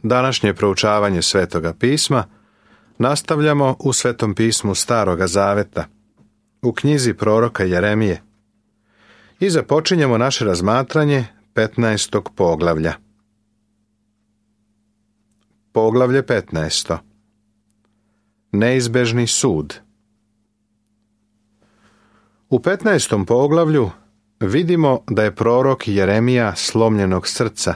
Današnje proučavanje Svetoga pisma nastavljamo u Svetom pismu Staroga Zaveta, u knjizi proroka Jeremije, i započinjemo naše razmatranje 15. poglavlja. Poglavlje 15. Neizbežni sud. U 15. poglavlju vidimo da je prorok Jeremija slomljenog srca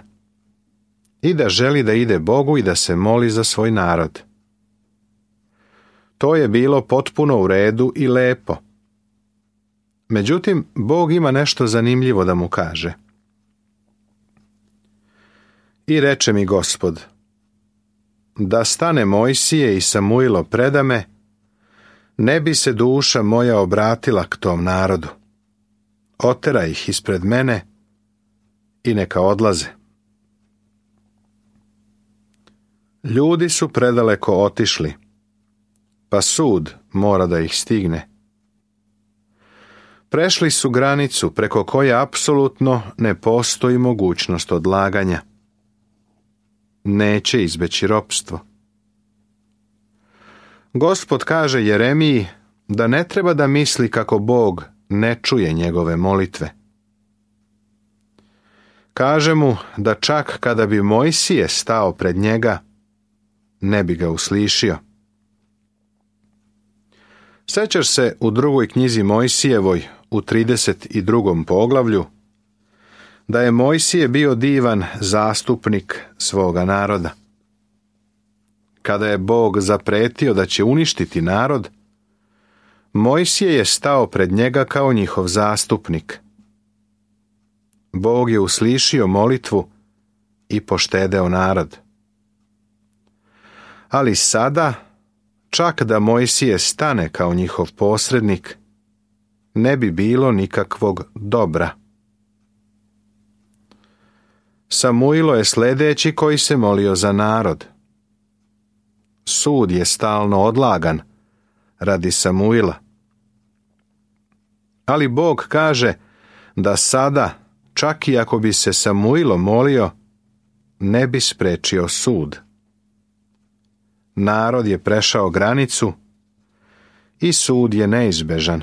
i da želi da ide Bogu i da se moli za svoj narod. To je bilo potpuno u redu i lepo. Međutim, Bog ima nešto zanimljivo da mu kaže. I reče mi Gospod, da stane Mojsije i Samuilo predame, ne bi se duša moja obratila k tom narodu. Otera ih ispred mene i neka odlaze. Ljudi su predaleko otišli, pa sud mora da ih stigne. Prešli su granicu preko koje apsolutno ne postoji mogućnost odlaganja. Neće izbeći ropstvo. Gospod kaže Jeremiji da ne treba da misli kako Bog ne čuje njegove molitve. Kaže mu da čak kada bi Mojsije stao pred njega, ne bi ga uslišio. Sećaš se u drugoj knjizi Mojsijevoj, u 32. poglavlju, da je Mojsije bio divan zastupnik svoga naroda. Kada je Bog zapretio da će uništiti narod, Mojsije je stao pred njega kao njihov zastupnik. Bog je uslišio molitvu i poštedeo narod. Ali sada, čak da Mojsije stane kao njihov posrednik, ne bi bilo nikakvog dobra. Samuilo je sljedeći koji se molio za narod. Sud je stalno odlagan radi Samuila. Ali Bog kaže da sada, čak i ako bi se Samuilo molio, ne bi sprečio sud. Narod je prešao granicu i sud je neizbežan.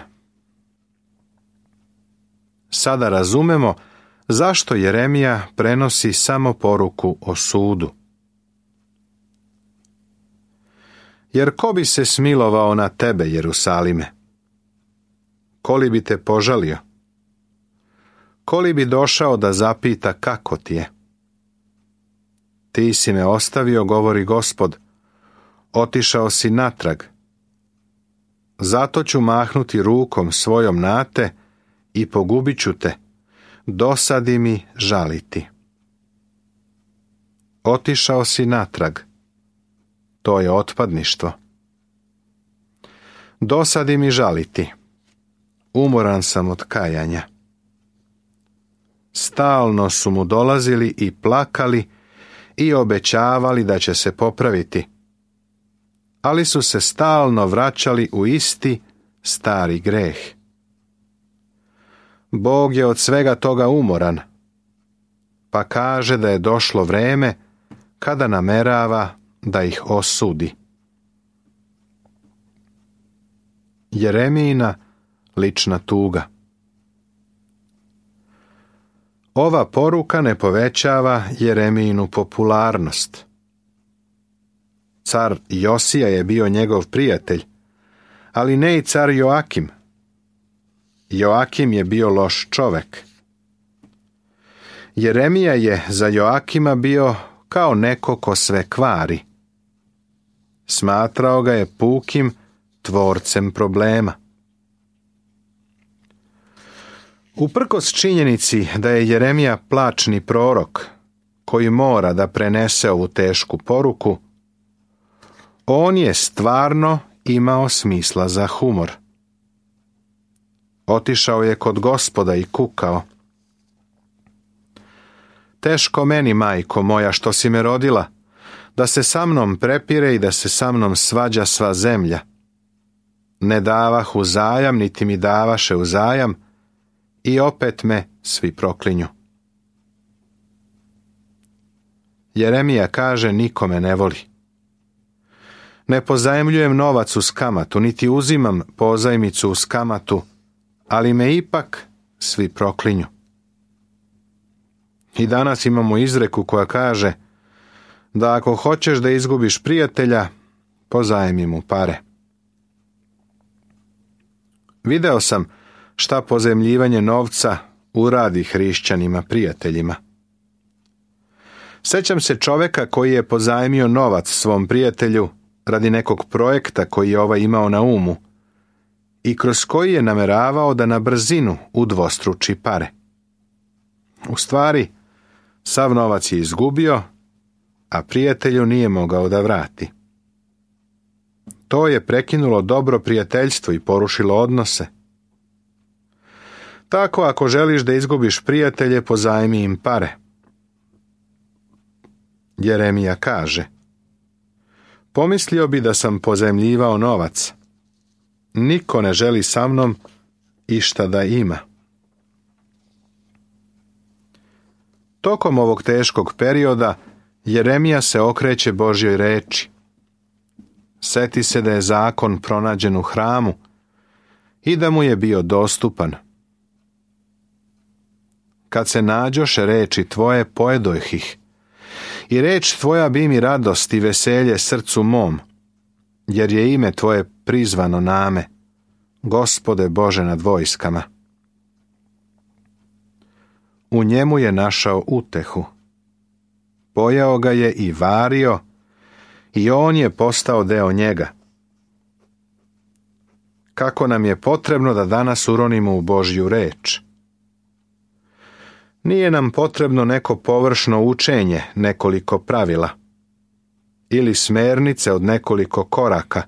Sada razumemo zašto Jeremija prenosi samo poruku o sudu. Jer ko bi se smilovao na tebe, Jerusalime? Ko li bi te požalio? Ko li bi došao da zapita kako ti je? Ti si me ostavio, govori Gospod, otišao si natrag. Zato ću mahnuti rukom svojom na te i pogubit ću te, dosadi mi žaliti. Otišao si natrag. To je otpadništvo. Dosadi mi žaliti. Umoran sam od kajanja. Stalno su mu dolazili i plakali i obećavali da će se popraviti. Ali su se stalno vraćali u isti stari greh. Bog je od svega toga umoran, pa kaže da je došlo vreme kada namerava da ih osudi. Jeremijina lična tuga. Ova poruka ne povećava Jeremijinu popularnost. Car Josija je bio njegov prijatelj, ali ne i car Joakim. Joakim je bio loš čovek. Jeremija je za Joakima bio kao neko ko sve kvari. Smatrao ga je pukim tvorcem problema. Uprkos činjenici da je Jeremija plačni prorok, koji mora da prenese ovu tešku poruku, on je stvarno imao smisla za humor. Otišao je kod Gospoda i kukao. Teško meni, majko moja, što si me rodila, da se sa mnom prepire i da se sa mnom svađa sva zemlja. Ne davah uzajam, niti mi davaše uzajam, i opet me svi proklinju. Jeremija kaže, niko me ne voli. Ne pozajmljujem novac uz kamatu, niti uzimam pozajmicu uz kamatu, ali me ipak svi proklinju. I danas imamo izreku koja kaže da ako hoćeš da izgubiš prijatelja, pozajmi mu pare. Video sam šta pozajmljivanje novca uradi hrišćanima prijateljima. Sećam se čoveka koji je pozajmio novac svom prijatelju radi nekog projekta koji je ovaj imao na umu i kroz koji je nameravao da na brzinu udvostruči pare. U stvari, sav novac je izgubio, a prijatelju nije mogao da vrati. To je prekinulo dobro prijateljstvo i porušilo odnose. Tako, ako želiš da izgubiš prijatelje, pozajmi im pare. Jeremija kaže, pomislio bi da sam pozajmljivao novac. Niko ne želi sa mnom išta da ima. Tokom ovog teškog perioda Jeremija se okreće Božjoj reči. Seti se da je zakon pronađen u hramu i da mu je bio dostupan. Kad se nađoše reči tvoje, pojedojh ih, i reč tvoja bi mi radost i veselje srcu mom, jer je ime tvoje prizvano name, Gospode Bože nad vojskama. U njemu je našao utehu. Pojeo ga je i vario, i on je postao deo njega. Kako nam je potrebno da danas uronimo u Božju reč. Nije nam potrebno neko površno učenje, nekoliko pravila, ili smernice od nekoliko koraka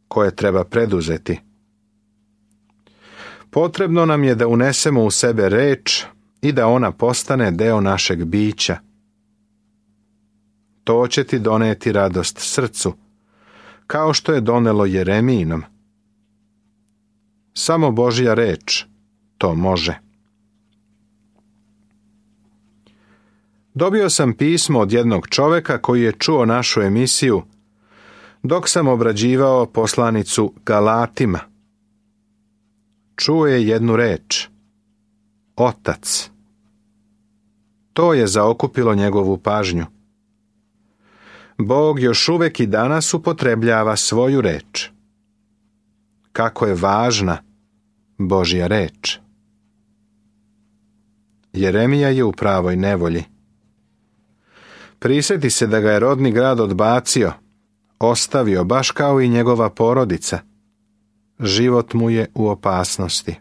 koje treba preduzeti. Potrebno nam je da unesemo u sebe reč i da ona postane deo našeg bića. To će ti doneti radost srcu, kao što je donelo Jeremijinom. Samo Božja reč to može. Dobio sam pismo od jednog čoveka koji je čuo našu emisiju dok sam obrađivao poslanicu Galatima. Čuo je jednu reč. Otac. To je zaokupilo njegovu pažnju. Bog još uvek i danas upotrebljava svoju reč. Kako je važna Božja reč. Jeremija je u pravoj nevolji. Prisjeti se da ga je rodni grad odbacio, ostavio baš kao i njegova porodica. Život mu je u opasnosti.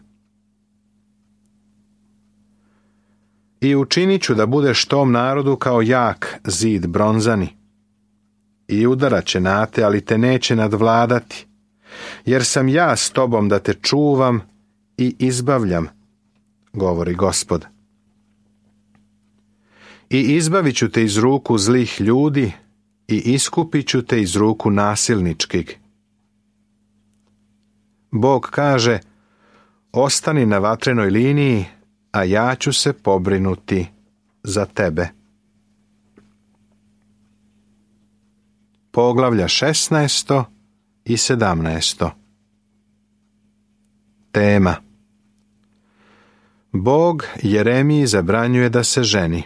I učinit ću da budeš tom narodu kao jak zid bronzani. I udarat će na te, ali te neće nadvladati, jer sam ja s tobom da te čuvam i izbavljam, govori Gospod. I izbavit ću te iz ruku zlih ljudi i iskupit ću te iz ruku nasilničkih. Bog kaže, ostani na vatrenoj liniji, a ja ću se pobrinuti za tebe. Poglavlja 16. i 17. Tema. Bog Jeremiji zabranjuje da se ženi.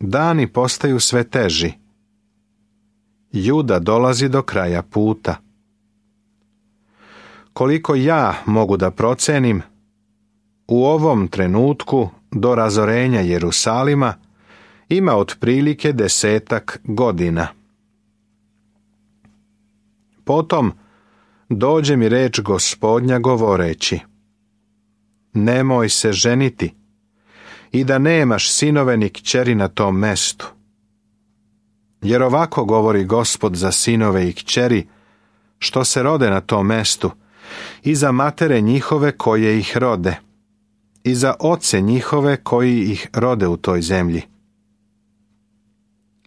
Dani postaju sve teži. Juda dolazi do kraja puta. Koliko ja mogu da procenim, u ovom trenutku do razorenja Jerusalima ima otprilike 10 godina. Potom dođe mi reč Gospodnja govoreći: nemoj se ženiti i da nemaš sinove ni kćeri na tom mestu. Jer ovako govori Gospod za sinove i kćeri što se rode na tom mestu i za matere njihove koje ih rode i za oce njihove koji ih rode u toj zemlji.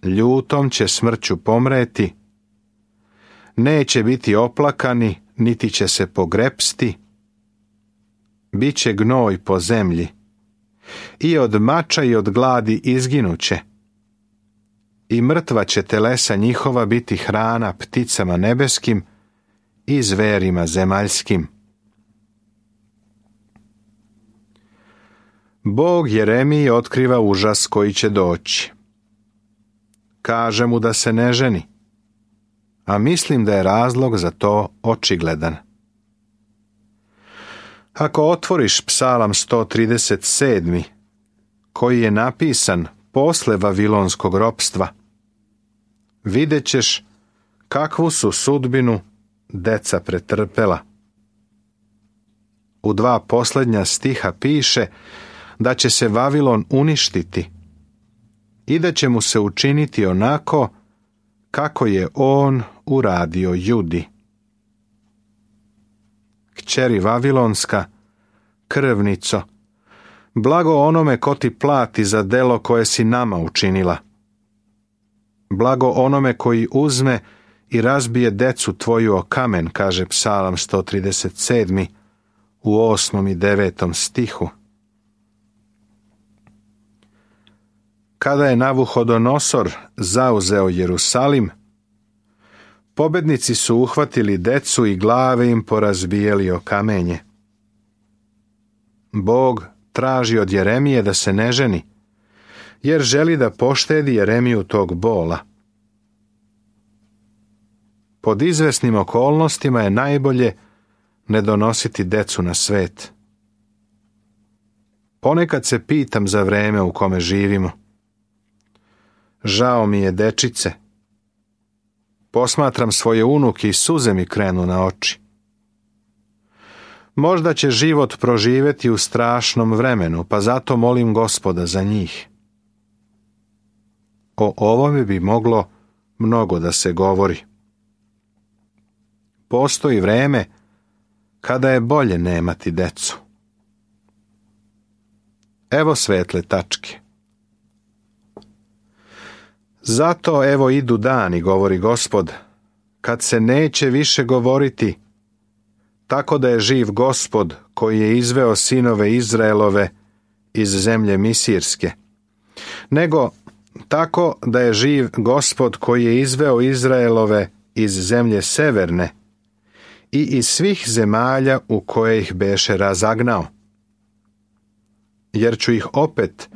Ljutom će smrću pomreti, neće biti oplakani, niti će se pogrepsti, bit će gnoj po zemlji i od mača i od gladi izginuće. I mrtva će telesa njihova biti hrana pticama nebeskim i zverima zemaljskim. Bog Jeremiji otkriva užas koji će doći. Kaže mu da se ne ženi, a mislim da je razlog za to očigledan. Ako otvoriš Psalam 137, koji je napisan posle vavilonskog ropstva, vidjet ćeš kakvu su sudbinu deca pretrpela. U 2 posljednja stiha piše da će se Vavilon uništiti i da će mu se učiniti onako kako je on uradio Judi. Kćeri Vavilonska, krvnico, blago onome ko ti plati za delo koje si nama učinila. Blago onome koji uzme i razbije decu tvoju o kamen, kaže Psalam 137. u 8. i 9. stihu. Kada je Navuhodonosor zauzeo Jerusalim, pobednici su uhvatili decu i glave im porazbijeli o kamenje. Bog traži od Jeremije da se ne ženi, jer želi da poštedi Jeremiju tog bola. Pod izvesnim okolnostima je najbolje ne donositi decu na svet. Ponekad se pitam za vreme u kome živimo. Žao mi je dečice. Posmatram svoje unuke i suze mi krenu na oči. Možda će život proživjeti u strašnom vremenu, pa zato molim Gospoda za njih. O ovome bi moglo mnogo da se govori. Postoji vreme kada je bolje nemati decu. Evo svetle tačke. Zato evo idu dani, govori Gospod, kad se neće više govoriti, tako da je živ Gospod koji je izveo sinove Izraelove iz zemlje Misirske, nego tako da je živ Gospod koji je izveo Izraelove iz zemlje Severne i iz svih zemalja u koje ih beše razagnao. Jer ću ih opet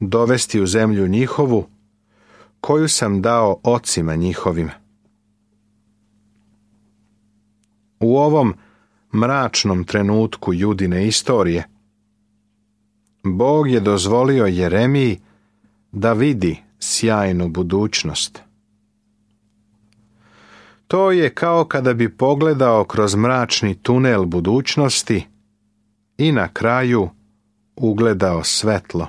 dovesti u zemlju njihovu, koju sam dao ocima njihovim. U ovom mračnom trenutku Judine istorije, Bog je dozvolio Jeremiji da vidi sjajnu budućnost. To je kao kada bi pogledao kroz mračni tunel budućnosti i na kraju ugledao svetlo.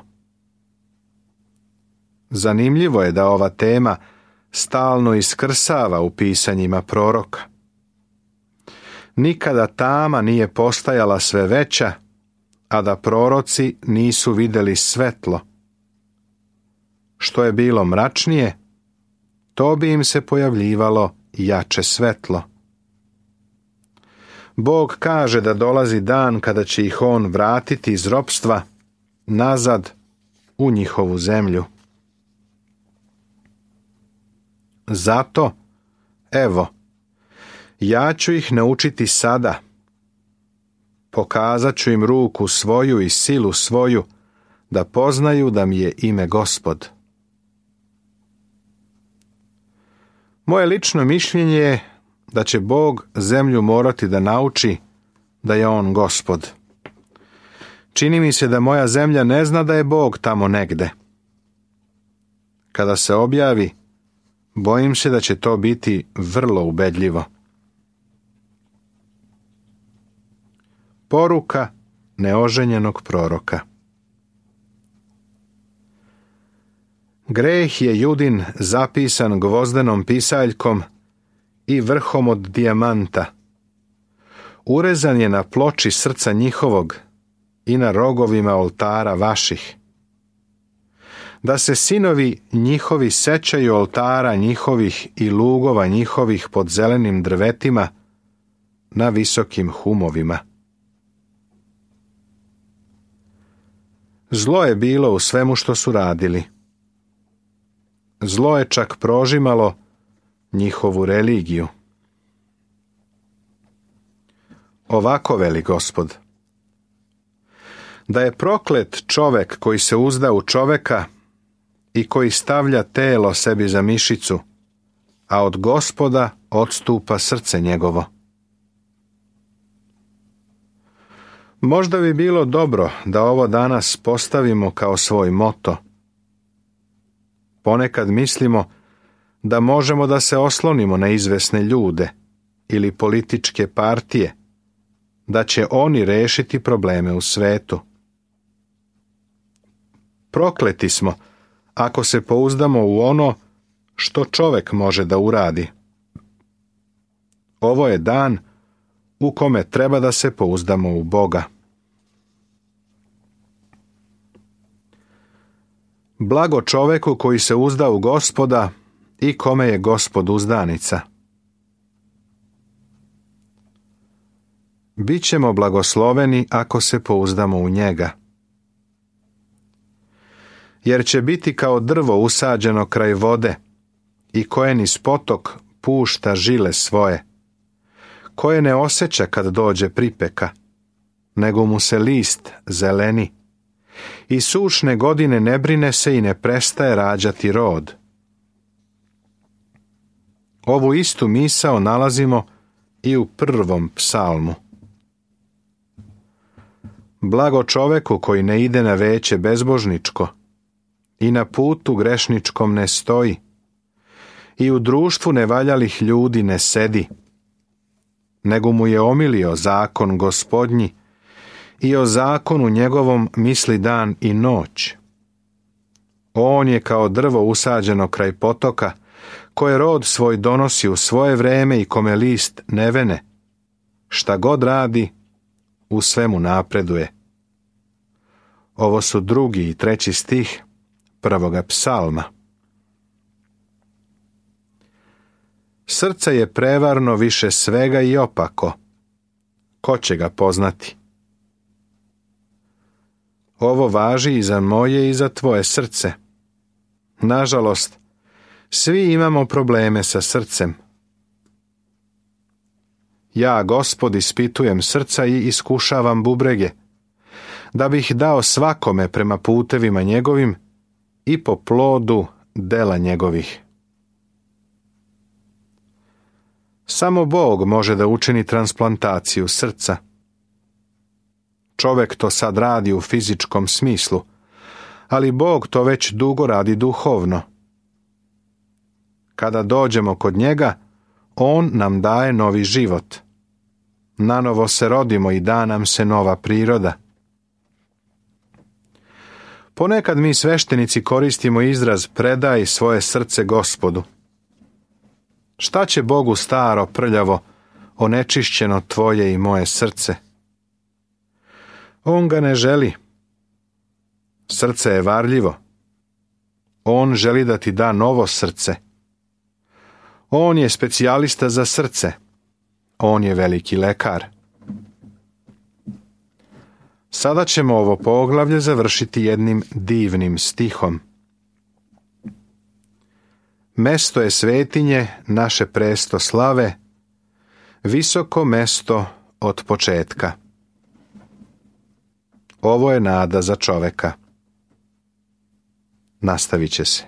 Zanimljivo je da ova tema stalno iskrsava u pisanjima proroka. Nikada tama nije postajala sve veća, a da proroci nisu vidjeli svetlo. Što je bilo mračnije, to bi im se pojavljivalo jače svetlo. Bog kaže da dolazi dan kada će ih on vratiti iz ropstva nazad u njihovu zemlju. Zato, evo, ja ću ih naučiti sada. Pokazat ću im ruku svoju i silu svoju, da poznaju da mi je ime Gospod. Moje lično mišljenje je da će Bog zemlju morati da nauči da je on Gospod. Čini mi se da moja zemlja ne zna da je Bog tamo negde. Kada se objavi, bojim se da će to biti vrlo ubedljivo. Poruka neoženjenog proroka. Greh je Judin zapisan gvozdenom pisaljkom i vrhom od dijamanta. Urezan je na ploči srca njihovog i na rogovima oltara vaših. Da se sinovi njihovi sećaju oltara njihovih i lugova njihovih pod zelenim drvetima na visokim humovima. Zlo je bilo u svemu što su radili. Zlo je čak prožimalo njihovu religiju. Ovako veli Gospod: da je proklet čovek koji se uzda u čoveka i koji stavlja telo sebi za mišicu, a od Gospoda odstupa srce njegovo. Možda bi bilo dobro da ovo danas postavimo kao svoj moto. Ponekad mislimo da možemo da se oslonimo na izvesne ljude ili političke partije, da će oni rešiti probleme u svetu. Prokleti smo ako se pouzdamo u ono što čovek može da uradi. Ovo je dan u kome treba da se pouzdamo u Boga. Blago čoveku koji se uzda u Gospoda i kome je Gospod uzdanica. Bićemo blagosloveni ako se pouzdamo u njega. Jer će biti kao drvo usađeno kraj vode i koje niz potok pušta žile svoje, koje ne osjeća kad dođe pripeka, nego mu se list zeleni i sušne godine ne brine se i ne prestaje rađati rod. Ovu istu misao nalazimo i u 1. psalmu. Blago čoveku koji ne ide na veće bezbožničko i na putu grešničkom ne stoji i u društvu nevaljalih ljudi ne sedi, nego mu je omilio zakon Gospodnji i o zakonu njegovom misli dan i noć. On je kao drvo usađeno kraj potoka, koje rod svoj donosi u svoje vreme i kome list ne vene. Šta god radi, u svemu napreduje. Ovo su 2. i 3. stih 1. psalma. Srce je prevarno više svega i opako. Ko će ga poznati? Ovo važi i za moje i za tvoje srce. Nažalost, svi imamo probleme sa srcem. Ja, Gospod, ispitujem srca i iskušavam bubrege, da bih dao svakome prema putevima njegovim i po plodu dela njegovih. Samo Bog može da učini transplantaciju srca. Čovek to sad radi u fizičkom smislu, ali Bog to već dugo radi duhovno. Kada dođemo kod njega, on nam daje novi život. Nanovo se rodimo i da nam se nova priroda. Ponekad mi sveštenici koristimo izraz predaj svoje srce Gospodu. Šta će Bogu staro, prljavo, onečišćeno tvoje i moje srce? On ga ne želi. Srce je varljivo. On želi da ti da novo srce. On je specijalista za srce. On je veliki lekar. Sada ćemo ovo poglavlje završiti jednim divnim stihom. Mesto je svetinje naše presto slave, visoko mesto od početka. Ovo je nada za čoveka. Nastavit će se.